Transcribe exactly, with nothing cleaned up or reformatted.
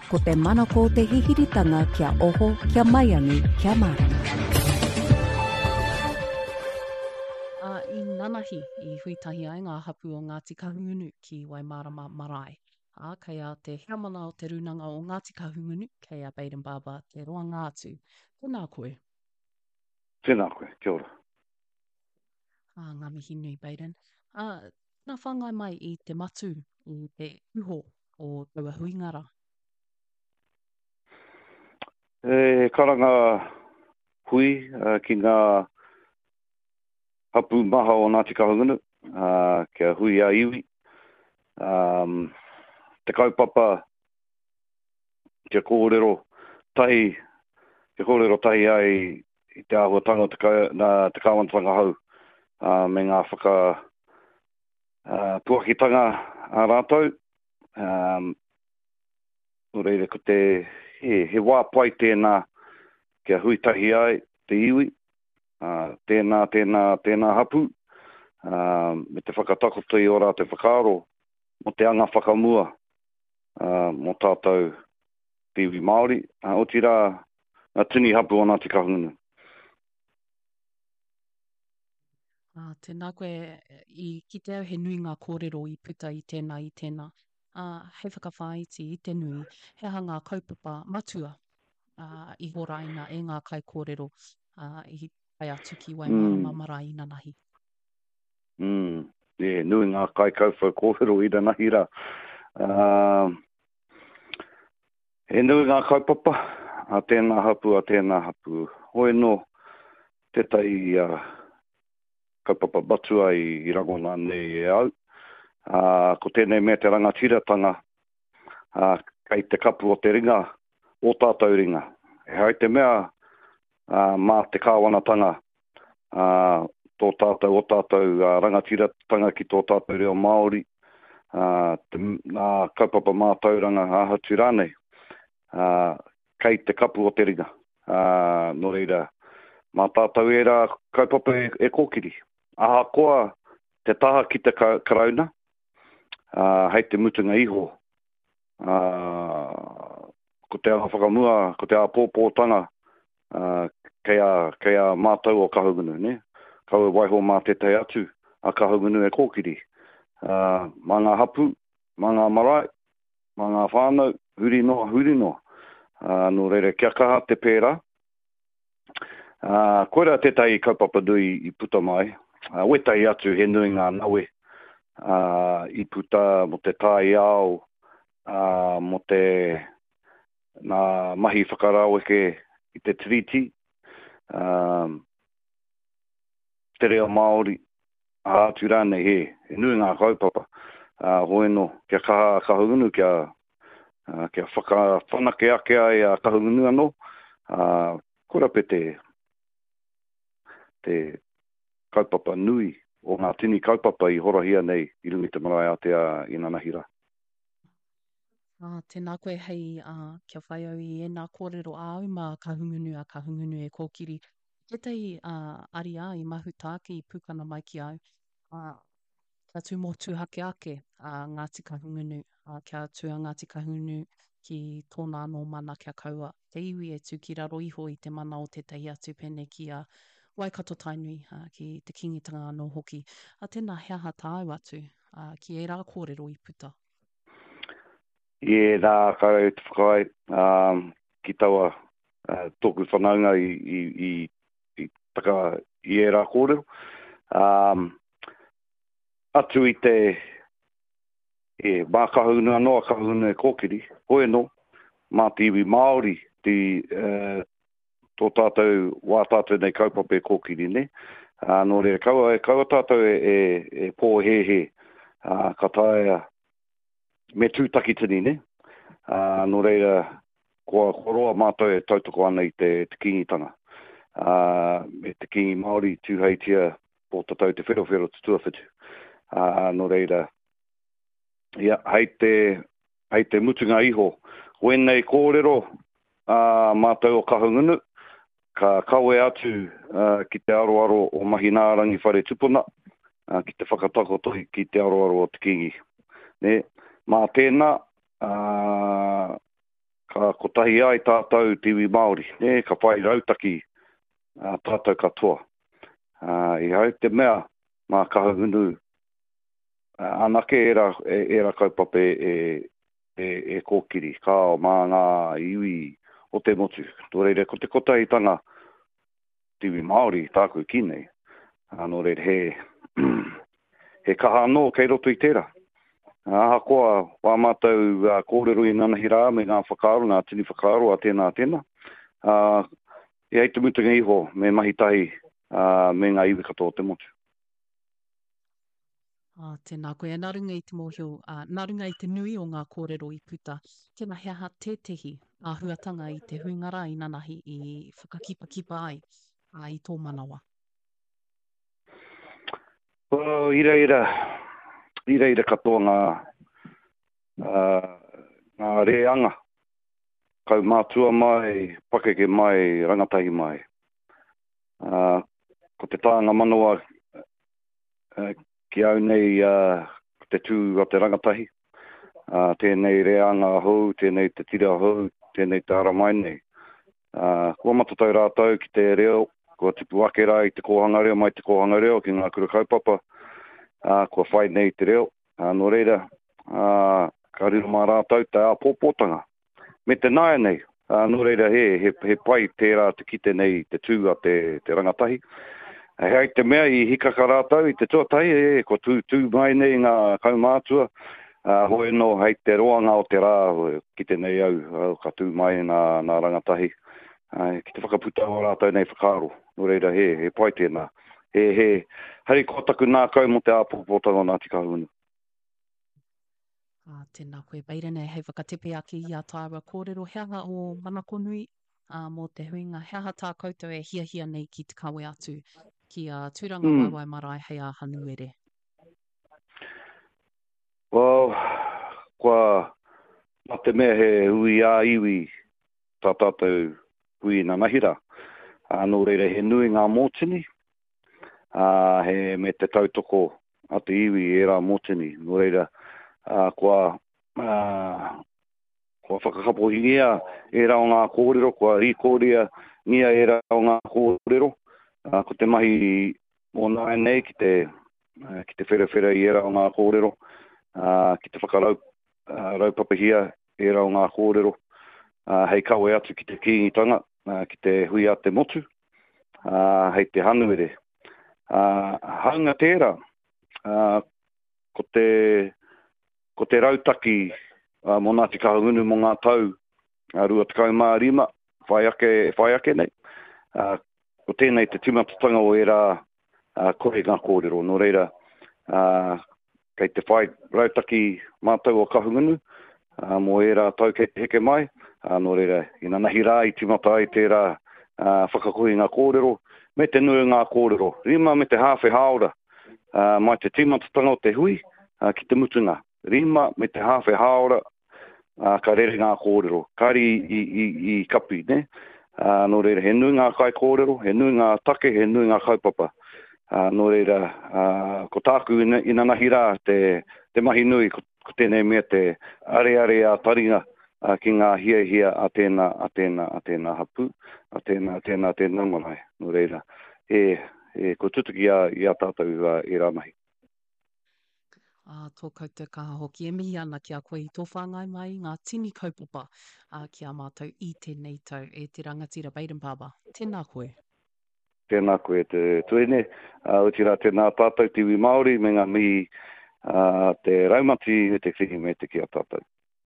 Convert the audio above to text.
Ko te manako o te hihiritanga kia oho, kia maiangi, kia mārama. Ā, i nanahi i hui tahi ai ngā hapū o Ngāti Kahungunu ki Waimārama Marae. Ā, kei a te heamana o Te Rūnanga o Ngāti Kahungunu, kei a Bayden Barber te roanga atu. Tēnā koe. Tēnā koe, kia ora. Ā, ngā mihi nui, Bayden. Ā, tēnā whāngai mai i te matū, i te iho o taua huinga rā. He karanga hui ki ngā hapū maha o Ngāti Kahungunu, kia hui a iwi. Te kaupapa kia kōrero tahi, kia kōrero tahi ai i te āhuatanga o te, te kāwanatanga hou me ngā whaka puakitanga a rātou. Um, nō reira, ko te, he, he wā pai tēnā kia hui tahi ai te iwi, uh, tēnā, tēnā, tēnā hapū, uh, me te whakatakoto i ō rātou whakaaro mō te anga whakamua uh, mō tātou te iwi Māori, uh, otirā ngā tini hapū o Ngāti Kahungunu. Ā, tēnā koe, i kite au he nui ngā kōrero i puta i tēnā, i tēnā. Ā, hei whakawhāiti i te nui, he aha ngā kaupapa matua, ā, i horaina e ngā kaikōrero, ā, i tae atu ki Waimārama mm. Marae inanahi? Mm. Yeah, nui ngā kaikauwhau kōrero inanahi rā. Uh, he nui ngā kaupapa a tēnā hapū, a tēnā hapū. Hoi nō tētahi uh, kaupapa matua i, i rangona nei e au. Uh, ko tēnei mea te rangatiratanga uh, kei te kapu o te ringa, o tātou ringa. E hai te mea uh, mā te kāwanatanga uh, tō tātou, o tātou uh, rangatiratanga ki tō tātou reo Māori, uh, te, nā kaupapa mātauranga āhatu rānei, uh, kei te kapu o te ringa. Uh, nō reira, mā tātou ērā kaupapa e, e kōkiri. Ahakoa te taha ki te karauna, uh, hei te mutunga iho, uh, ko te anga whakamua, ko te āpōpōtanga, uh, kei a, kei a mātou o Kahungunu, ne? Kaua e waiho mā tētahi atu a Kahungunu e kōkiri. Uh, mā ngā hapū, mā ngā marae, mā ngā whānau, huri noa, huri noa. Uh, nō reira, kia kaha te pērā. Uh, koirā tētahi kaupapa nui i puta mai. Uh, wētahi atu he nui ngā nawe uh, i puta mō te taiao, uh, mō te nā mahi whakaraweke i te tiriti, um, te reo Māori, aha atu rānei, he, he nui ngā kaupapa. Uh, hoi anō, kia kaha a Kahungunu, kia, uh, kia whakawhanake ake ai a Kahungunu anō, uh, koira pe te, te kaupapa nui o ngā tini kaupapa i horahia nei i runga i te marae ātea inanahi rā. Ā, tēnā koe hei, ā, kia whai au i ēnā kōrero āu mā Kahungunu a Kahungunu e kōkiri. Tētahi, ā, ariā i mahuta ake i pūkana mai ki au, ā, kia tū motuhake ake a Ngāti Kahungunu, ā, kia tū a Ngāti Kahungunu ki tōna anō mana kia kaua te iwi e tū ki raro iho i te mana o tētahi atu pēnei ki a Waikato Tainui, ā, ki te Kīngitanga anō hoki. Ā, tēnā, he aha tāu atu, ā, ki ērā kōrero i puta? I ērā ka au te whakaae, ā, ki taua, ā, tōku whanaunga i, i, i, i taka i ērā kōrero. Ā, atu i te, e, mā Kahungunu anō a Kahungunu e kōkiri, hoi anō, mā te iwi Māori te, uh, tō tātou, wā tātou nei kaupapa e kōkiri nei. Ā, nō reira, kaua, kaua tātou e, e, e pōhēhē, ā, ka taea me tū takitini, ne? Ā, nō reira, kua, kua roa mātou e tautoko ana i te, te Kīngitanga. Ā, me te Kīngi Māori Tūheitia Pōtatau Te Wherowhero te tuawhitu. Ā, nō reira, ia, hei te, hei te mutunga iho, ko ēnei kōrero ā mātou o Kahungunu, ka kawe atu ki te aroaro o Mahinaarangi Whare Tupuna, ki te whakatakoto ki te aroaro o te Kīngi. Nē, mā tēnā, ā, ka kotahi ai tātou te iwi Māori, nē, ka whai rautaki uh, tātou katoa. Uh, I hau te mea mā Kahungunu uh, anake era, e, era kaupapa e, e, e kōkiri, kao mā ngā iwi o te motu. Tō reira, ko te kotahitanga te iwi Māori tāku ki nei. Uh, nō reira, he, he kaha anō kei roto i tērā. Ahakoa wā mātou uh, kōrero i nanahi rā me ngā whakaaro, ngā tini whakaaro a tēnā tēnā. Uh, e hei te mutunga iho me mahi tahi uh, me ngā iwi katoa o te motu. Ah, tēnā koe. Nā runga i te mōhio, uh, nā runga i te nui o ngā kōrero i puta, tēnā he aha tētehi āhuatanga i te huinga rā i nanahi i whakakipakipa ai uh, i tō manawa? Well, i reira, i reira katoa ngā, uh, ngā reanga, kaumātua mai, pakeke mai, rangatahi mai. Uh, ko te tānga manawa uh, ki au nei uh, ko te tū a te rangatahi. Uh, tēnei reanga hou, tēnei te tira hou, tēnei te ara mai nei. Uh, kua matatau rātou ki te reo, kua tipu ake rā i te kōhanga reo, mai te kōhanga reo ki ngā kura kaupapa, uh, kua whai nei te reo. Uh, nō reira, uh, ka riro mā rātou te āpōpōtanga. Me te naia nei, uh, nō reira he, he, he pai tērā te kite nei te tū a te, te rangatahi. He ai te mea i hikaka rātou i te tuatahi, e, kua tū, tū mai nei ngā kaumātua, uh, hoi no hei te roanga o te rā, kite nei au, au ka tū mai nā, nā rangatahi, uh, ki te whakaputa o rātou nei whakaaro. Nō reira, he, he pai tēnā. He, he, hari ko taku nākau mō te āpōpōtanga o Ngāti Kahungunu. Ah, tēnā koe, Bairene, hei whakatepe ake i a tāua kōrero, he aha o manako nui uh, mō te huinga, he aha tā koutou e hiahia nei ki te kawe atu ki a Tūranga mm. Waewae Marae hei a Hanuere? Well, kua nā te mea he hui ā iwi tā tātou hui nanahi rā. Uh, nō reira he nui ngā mōtini, uh, he me te tautoko a te iwi e rā mōtini. Nō reira, uh, kua, uh, kua whakakapohingia e rā o ngā kōrero, kua rīkōria ngia e rā o ngā kōrero. Uh, ko te mahi o nāi nei ki te, uh, ki te wherawhera i era o ngā kōrero, uh, ki te whakarau, uh, raupapahia e rā o ngā kōrero, uh, hei kawe atu ki te Kīngitanga, uh, ki te hui a te motu, uh, hei te Hanuere. Uh, haunga tērā, uh, ko te, ko te rautaki uh, mō Ngāti Kahungunu mō ngā tau uh, rua tekau mā rima, whai ake, whai ake nei. Uh, ko tēnei te tīmatatanga o ērā uh, kore ngā kōrero. Nō reira, uh, kei te whai rautaki mātou o Kahungunu, uh, mō ērā tau kei te heke mai. Uh, nō reira, i nanahi rā i tīmata ai tērā uh, whakakohi ngā kōrero, me te nui ngā kōrero. Rima me te hāwhe hāora, uh, mai te tīmatatanga o te hui uh, ki te mutunga. Rima me te hāwhe hāora, uh, ka rere ngā kōrero. Kari i, i, i kapi, ne? Uh, nō reira, he nui ngā kai kōrero, he nui ngā take, he nui ngā kaupapa. Uh, nō reira, uh, ko tāku ina, inanahi rā te, te mahi nui, ko, ko tēnei mea te areare a taringa uh, ki ngā hiahia a tēnā, a tēnā, a tēnā hapū, a tēnā, tēnā, tēnā marae. Nō reira, e, e, ko tutuki a, i a tātou uh, e rā mahi. Ah, tō koutou kaha hoki. E mihi ana ki a koe i tō whāngai mai i ngā tini kaupapa uh, ki a mātou i tēnei tau e te rangatira Bayden Barber. Tēnā koe. Tēnā koe te tuene. Uh, otirā tēnā tātou te iwi Māori me ngā mihi uh, te raumati me te whihi me te ki a tātou.